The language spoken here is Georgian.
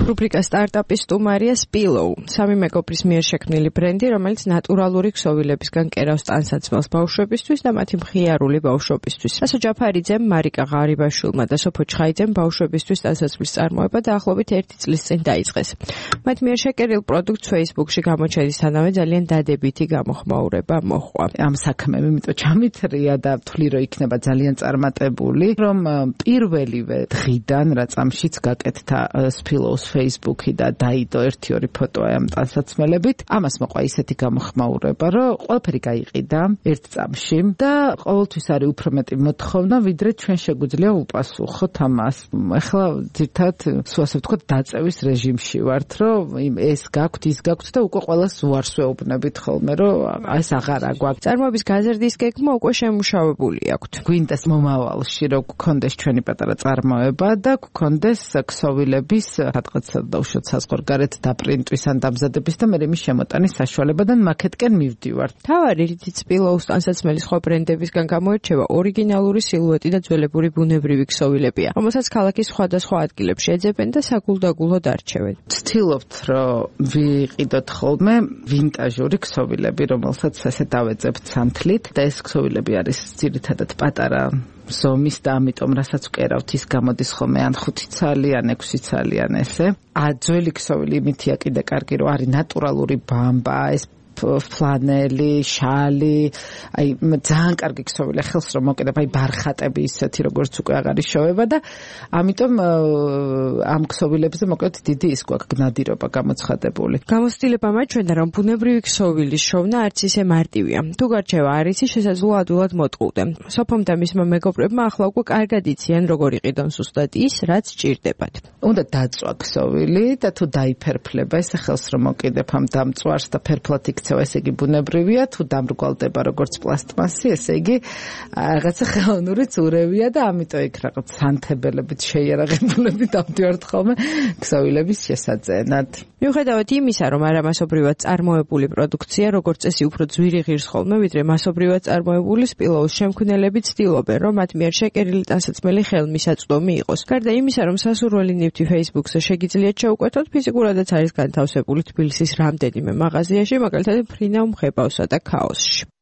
რუბრიკა სტარტაპის სტუმარია Spillow, 3 მეგობრის მიერ შექმნილი ბრენდი, რომელიც ნატურალური ქსოვილებისგან კერავს ტანსაცმელს ბავშვებისთვის და მათი მხიარული ბავშვობისთვის. რასო ჯაფარიძემ, მარიკა ღარიბაშვილმა და სოფო ჩხაიძემ ბავშვებისთვის ტანსაცმლის წარმოება დაახლოებით 1 წლის წინ დაიწყეს. მათ მიერ შეკერილ პროდუქტს Facebook-ში გამოჩენისთანავე ძალიან დადებითი გამოხმაურება მოჰყვა. ამ საქმემ იმიტომ ჩამithრია და ვთვლი რომ იქნება ძალიან წარმატებული, რომ პირველივე დღიდან რა წამშიც გაკეთდა Spillow-ს Facebook-ი და დაიდო 1-2 ფოტო ამ ტანსაცმელებით. ამას მოყვა ისეთი გამოხმაურება, რომ ყველაფერი გაიყიდა ერთ წამში და ყოველთვის არის უფრო მეტი მოთხოვნა, ვიდრე ჩვენ შეგვიძლია უპასუხოთ ამას. ახლა ძირთად, ასე ვთქვათ, დაწევის რეჟიმში ვართ, რომ ეს გაქვთ, ის გაქვთ და უკვე ყველას უარს ვეუბნებით ხოლმე, რომ ეს აღარა გვაქვს. წარმოების გაზრდის გეგმა უკვე შემუშავებული აქვთ. გვინდას მომავალში რომ გქონდეს ჩვენი პატარა წარმოება და გქონდეს ქსოვილების რატყაცა დაუშვათ საზღვარგარეთ დაპრინტვის ან დამზადების და მე მის შემოტანის საშუალებიდან მაკეთკენ მივდივარ. თავარი რითიც Spillow-ს ტანსაცმელის სხვა ბრენდებისგან გამოირჩევა ორიგინალური სილუეტი და ძველებური ბუნებრივი ქსოვილებია, რომელსაც ქალაქის სხვადასხვა ადგილებში ეძებენ და საგულდაგულოდ არჩევენ. ვცდილობთ რომ ვიყიდოთ ხოლმე ვინტაჟური ქსოვილები, რომელსაც ასე დავეძებთ სანთლით და ეს ქსოვილები არის ძირითადად პატარა ზომის და ამიტომ რასაც ვკერავთ ის გამოდის ხოლმე ან 5 ცალი ან 6 ცალი ან ესე. ძველი ქსოვილი იმითია კიდე კარგი რომ არის ნატურალური ბამბა, ეს ფლანელი, შალი, აი ძალიან კარგი ქსოვილია, ხელს რომ მოკიდებ, აი ბარხატები ისეთი როგორც უკვე აღარ იშოვება და ამიტომ ამ ქსოვილებზე მოკლედ დიდი ის გვაქვს გნადირობა გამოცხადებული. გამოცდილება მაჩვენდა რომ ბუნებრივი ქსოვილის შოვნა არც ისე მარტივია. თუ გარჩევა არ იცი, შესაძლოა ადვილად მოტყუდე. სოფომ და მისმა მეგობრებმა ახლა უკვე კარგად იციან როგორ იყიდონ ზუსტად ის, რაც სჭირდებათ. უნდა დაწვა ქსოვილი და თუ დაიფერფლება, ესე ხელს რომ მოკიდებ ამ დამწვარს და ფერფლად ესე იგი ბუნებრივია, თუ დამრგვალდება როგორც პლასტმასი, ესე იგი რაღაცა ხელოვნური წურევია და ამიტომ იქ რაღაც სანთებელებით შეიარაღებულები დავდივართ ხოლმე ქსოვილების შესაძენად. მიუხედავად იმისა, რომ არამასობრივად წარმოებული პროდუქცია როგორც წესი უფრო ძვირი ღირს ხოლმე, ვიდრე მასობრივად წარმოებული Spillow-ს შემქმნელები ცდილობენ, რომ მათ მიერ შეკერილი ტანსაცმელი ხელმისაწვდომი იყოს. გარდა იმისა, რომ სასურველი ნივთი Facebook-ზე შეგიძლიათ შეუკვეთოთ, ფიზიკურადაც არის განთავსებული თბილისის რამდენიმე მაღაზიაში, მაგალითად ფრინავ მხებავსა და ქაოსში.